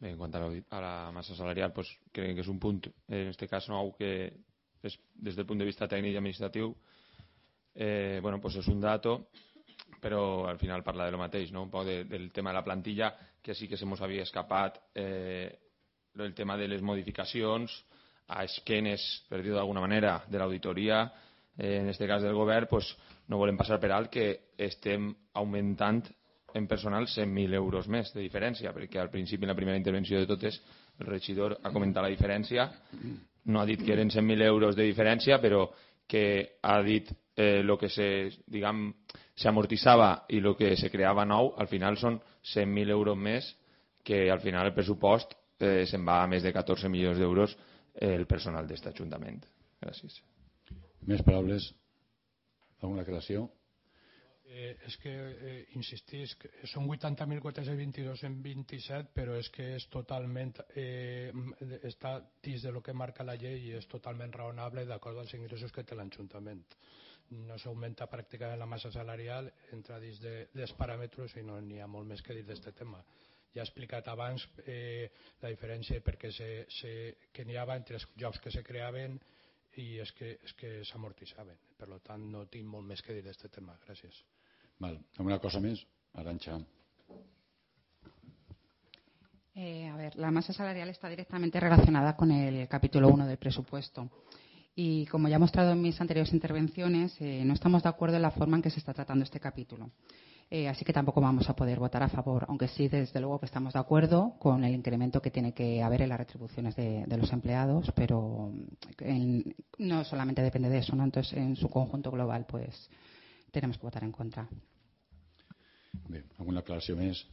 En cuanto a la masa salarial, pues creen que es un punto, en este caso, nou, que es, desde el punto de vista tècnic i administratiu, bueno, pues es un dato, però al final parla de lo mateix, no? Un poc del tema de la plantilla, que sí que se mos havia escapat el tema de les modificacions a esquenes, per dir-ho d'alguna manera, de l'auditoria, en este cas del govern, pues no volem passar per alt que estem augmentant en personal 100.000 euros més de diferència, perquè al principi, en la primera intervenció de totes, el regidor ha comentat la diferència, no ha dit que eren 100.000 euros de diferència, però que ha dit el que s'amortitzava i el que se creava nou, al final són 100.000 euros més, que al final el pressupost se'n va a més de 14 milions d'euros el personal d'aquest Ajuntament. Gràcies. Més paraules? Alguna aclaració? És que, insistís, són 80.422 en 27, però és que és totalment, està dins de lo que marca la llei i és totalment raonable d'acord als ingressos que té l'Ajuntament. No s'augmenta pràcticament la massa salarial, entra dins dels paràmetres i no n'hi ha molt més que dir d'aquest tema. Ja he explicat abans la diferència perquè que n'hi havia entre els llocs que se creaven i és que s'amortitzaven. Per tant, no tinc molt més que dir d'aquest tema. Gràcies. ¿Alguna cosa más? Arantxa. A ver, la masa salarial está directamente relacionada con el capítulo 1 del presupuesto. Y como ya he mostrado en mis anteriores intervenciones, no estamos de acuerdo en la forma en que se está tratando este capítulo. Así que tampoco vamos a poder votar a favor, aunque sí, desde luego que estamos de acuerdo con el incremento que tiene que haber en las retribuciones de los empleados, pero no solamente depende de eso, ¿no? Entonces, en su conjunto global, pues tenemos que votar en contra. Bé, alguna aclaració més?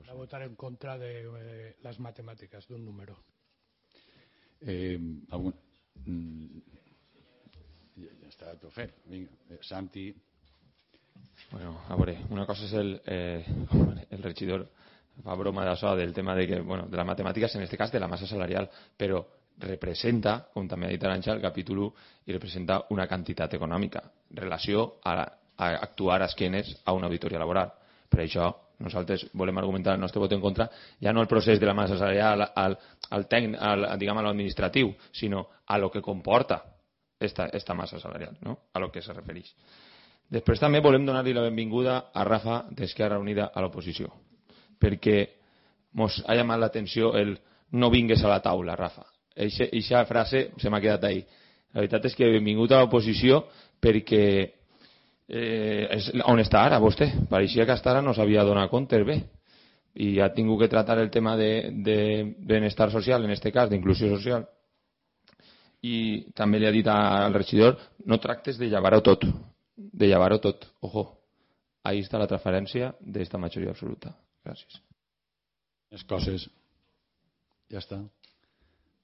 Va a votar en contra de las matemáticas, de un número. Ja està tot fet. Vinga, Santi. Bueno, a veure, una cosa és el regidor fa broma d'això, del tema de les matemàtiques, en aquest cas de la massa salarial, però representa, com també ha dit Arantxa, el capítol 1, i representa una quantitat econòmica en relació a actuar a esquenes a una auditoria laboral. Per això nosaltres volem argumentar el nostre vot en contra, ja no al procés de la massa salarial, al tècnic, diguem, a l'administratiu, sinó a lo que comporta esta massa salarial, no? A lo que se refereix. Després també volem donar-li la benvinguda a Rafa d'Esquerra Unida a l'oposició, perquè ens ha llamat l'atenció el no vingues a la taula, Rafa. Eixa frase se m'ha quedat ahí. La veritat és que benvingut a l'oposició perquè on està ara vostè? Pareixia que hasta ara no s'havia donat compte bé i ha tingut que tractar el tema de benestar social, en aquest cas d'inclusió social, i també li ha dit al regidor no tractes de llevar-ho tot, ojo, ahí està la transferència d'esta majoria absoluta. Gràcies. Més coses. Ja està.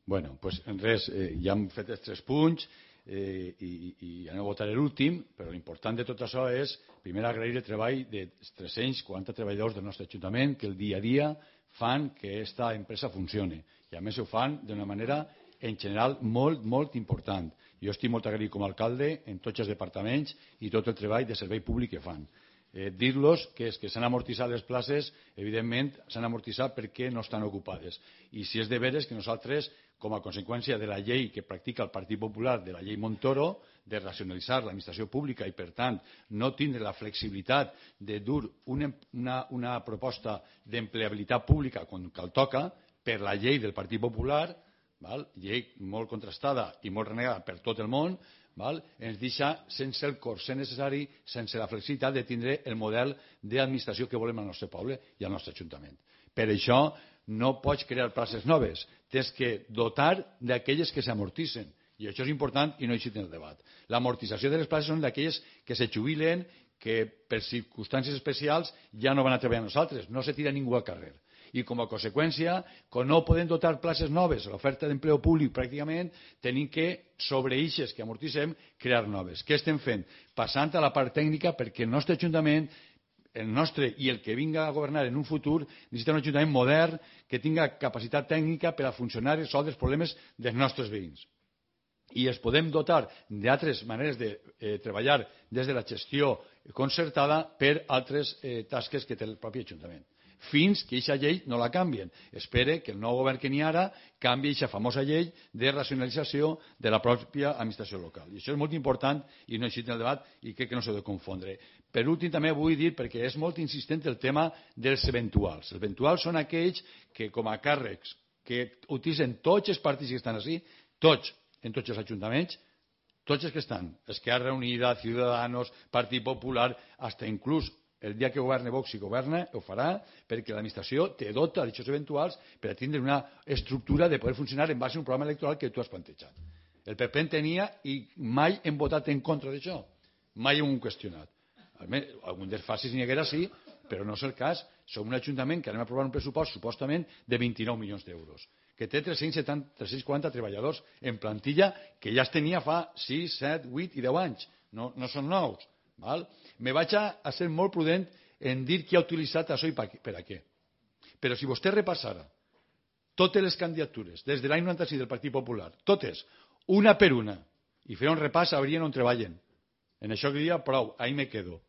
Bueno, doncs res, ja hem fet els 3 punts i anem a votar l'últim, però l'important de tot això és, primer, agrair el treball de 340 treballadors del nostre Ajuntament que el dia a dia fan que aquesta empresa funcioni. I a més ho fan d'una manera, en general, molt, molt important. Jo estic molt agraït com a alcalde en tots els departaments i tot el treball de servei públic que fan. Dir-los que és que s'han amortitzat les places, evidentment s'han amortitzat perquè no estan ocupades. I si és de veres que nosaltres, com a conseqüència de la llei que practica el Partit Popular, de la llei Montoro, de racionalitzar l'administració pública i, per tant, no tindre la flexibilitat de dur una proposta d'empleabilitat pública quan cal toca, per la llei del Partit Popular, llei molt contrastada i molt renegada per tot el món, ens deixa sense el corset necessari, sense la flexibilitat de tindre el model d'administració que volem al nostre poble i al nostre Ajuntament. Per això no pots crear places noves, tens que dotar d'aquelles que s'amortitzen. I això és important i no hi el debat. L'amortització de les places són d'aquelles que se jubilen, que per circumstàncies especials ja no van a treballar amb nosaltres, no se tira ningú al carrer. I com a conseqüència, quan no podem dotar places noves a l'oferta d'empleo públic pràcticament, tenim que, sobre eixes que amortitzem, crear noves. Què estem fent? Passant a la part tècnica perquè el nostre Ajuntament, el nostre i el que vinga a governar en un futur, necessita un Ajuntament modern que tinga capacitat tècnica per a funcionar i resoldre els problemes dels nostres veïns. I els podem dotar d'altres maneres de treballar des de la gestió concertada per altres tasques que té el propi Ajuntament. fins que aquesta llei no la canvien. Espere que el nou govern que n'hi ha ara canvi aquesta famosa llei de racionalització de la pròpia administració local. I això és molt important i no existe en el debat i crec que no s'ha de confondre. Per últim, també vull dir, perquè és molt insistent el tema dels eventuals. Els eventuals són aquells que, com a càrrecs que utilitzen tots els partits que estan així, tots, en tots els ajuntaments, tots els que estan, Esquerra Unida, Ciudadanos, Partit Popular, hasta inclús el dia que governe Vox, si governa, ho farà, perquè l'administració te dota d'aixòs eventuals per a tindre una estructura de poder funcionar en base a un programa electoral que tu has plantejat. El PP en tenia i mai hem votat en contra d'això. Mai hem qüestionat. Algun dels facis n'hi haguera sí, però no és el cas. Som un ajuntament que anem a aprovar un pressupost supostament de 29 milions d'euros, que té 340 treballadors en plantilla que ja es tenia fa 6, 7, 8 i 10 anys. No són nous. Val? Me vaig a ser molt prudent en dir qui ha utilitzat això i per a què. Però si vostè repassara totes les candidatures des de l'any 96 del Partit Popular, totes, una per una, i fer un repàs, sabrien on treballen. En això que diria, prou, ahí me quedo.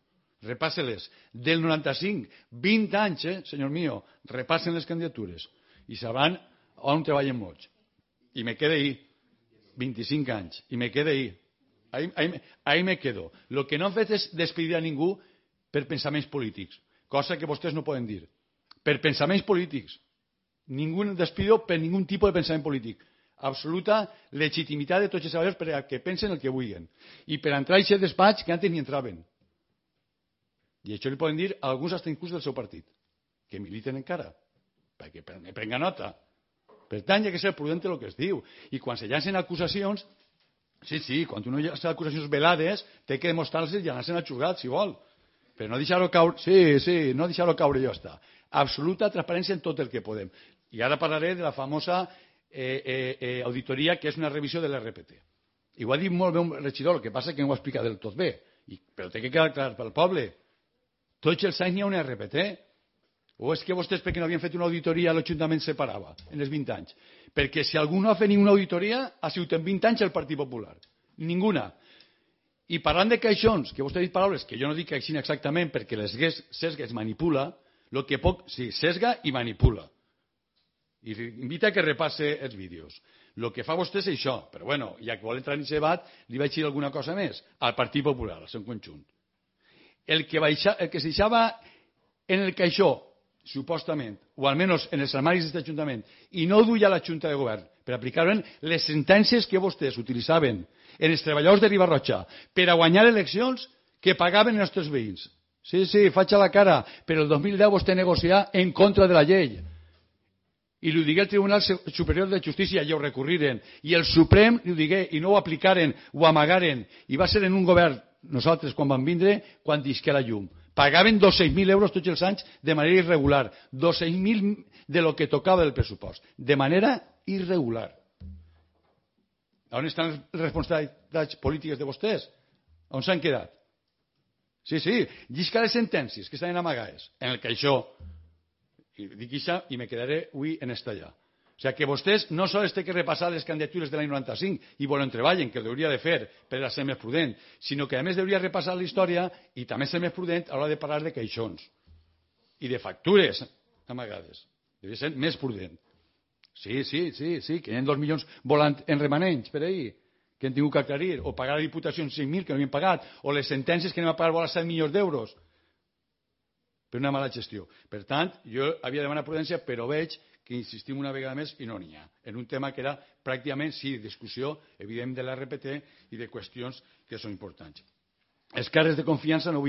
Repasse-les. Del 95, 20 anys, senyor mío, repassen les candidatures i sabran on treballen molts. I me quede ahí. 25 anys. I me quede ahí. Ahí me quedo. Lo que no han fet és despedir a ningú per pensaments polítics, cosa que vostès no poden dir. Per pensaments polítics. Ningú despido per ningú tipus de pensament polític. Absoluta legitimitat de tots els treballadors per a que pensen el que vulguin. I per entrar a aquest despatx que antes ni entraven. I això li poden dir a alguns hasta inclús del seu partit, que militen encara, perquè me prenga nota. Per tant, hi ha que ser prudent el que es diu. I quan se llancen acusacions, sí, quan uno llança acusacions velades, té que demostrar-les i anar-se'n a xurgat, si vol. Però no deixar-ho caure, no deixar-ho caure i ja està. Absoluta transparència en tot el que podem. I ara parlaré de la famosa auditoria, que és una revisió de l'RPT. I ho ha dit molt bé un regidor, el que passa que no ho explica del tot bé. Però té que quedar clar pel poble. Tots els anys n'hi ha una RPT. O és que vostès, perquè no havien fet una auditoria, l'Ajuntament se parava en els 20 anys? Perquè si algú no ha fet ninguna auditoria, ha sigut en 20 anys el Partit Popular. Ninguna. I parlant de caixons, que vostè ha dit paraules que jo no dic caixin exactament perquè les sesga es manipula, el que poc, sí, sesga i manipula. I invita que repasse els vídeos. El que fa vostè és això, però bueno, ja que vol entrar en aquest debat, li vaig dir alguna cosa més al Partit Popular, al seu conjunt. El que se deixava en el caixó, supostament, o almenys en els armaris d'aquest Ajuntament, i no duia a la Junta de Govern, per aplicar-ho les sentències que vostès utilitzaven en els treballadors de Ribarroja per a guanyar eleccions que pagaven els nostres veïns. Sí, faig a la cara, però el 2010 vostè negocià en contra de la llei. I li ho digué al Tribunal Superior de Justícia i ho recurriren. I el Suprem li ho digué i no ho aplicaren, ho amagaren. I va ser en un govern, nosaltres, quan vam vindre, quan disqué la llum. Pagaven 200.000 euros tots els anys de manera irregular. 200.000 de lo que tocava del pressupost. De manera irregular. On estan les responsabilitats polítiques de vostès? On s'han quedat? Sí, llisca les sentències que estan amagades en el caixó. I dic això i me quedaré avui en esta allà. O sigui que vostès no sols té que repassar les candidatures de l'any 95 i volen treballen, que ho hauria de fer per a ser més prudent, sinó que a més hauria repassar la història i també ser més prudent a l'hora de parlar de caixons i de factures amagades. Hauria de ser més prudent. Sí, que hi ha 2 milions volant en remanents per ahir, que hem tingut que aclarir, o pagar a la Diputació 5.000 que no havien pagat, o les sentències que anem a pagar vora 7 milions d'euros per una mala gestió. Per tant, jo havia de demanar prudència, però veig que insistim una vegada més i no n'hi ha, en un tema que era pràcticament, sí, discussió evident de l'RPT i de qüestions que són importants. Els càrrecs de confiança, no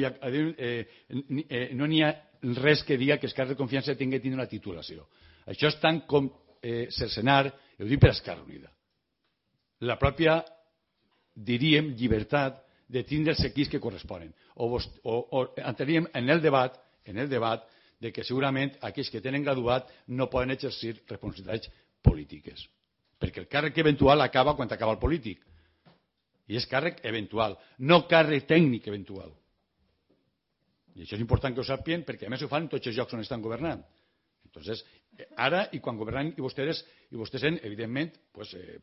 n'hi ha res que diga que els càrrecs de confiança tinguin de tindre una titulació. Això és tant com cercenar, ho dic per Esquerra Unida, la pròpia, diríem, llibertat de tindre els equips que corresponen. O entraríem en el debat de que segurament aquells que tenen graduat no poden exercir responsabilitats polítiques. Perquè el càrrec eventual acaba quan acaba el polític. I és càrrec eventual, no càrrec tècnic eventual. I això és important que ho sàpien perquè a més ho fan en tots els llocs on estan governant. Entonces, ara i quan governen i vostès són, evidentment,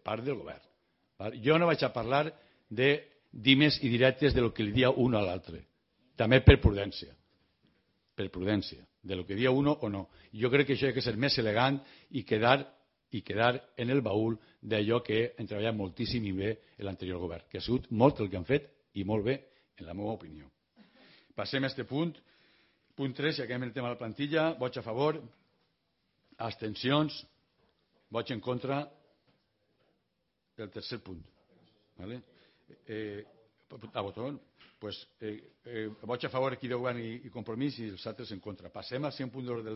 part del govern. Jo no vaig a parlar de dimes i directes de lo que li dia un a l'altre. També per prudència. Per prudència. de lo que dia uno o no. Jo crec que això ha de ser més elegant i quedar en el baúl d'allò que han treballat moltíssim i bé l'anterior govern, que ha sigut molt el que han fet i molt bé, en la meva opinió. Passem a aquest punt. Punt 3, i acabem el tema de la plantilla. Vots a favor, abstencions, vots en contra del tercer punt. ¿Vale? A votón. Pues vots a favor aquí de govern i compromís i els altres en contra. Passem al 100 punt d'ordre del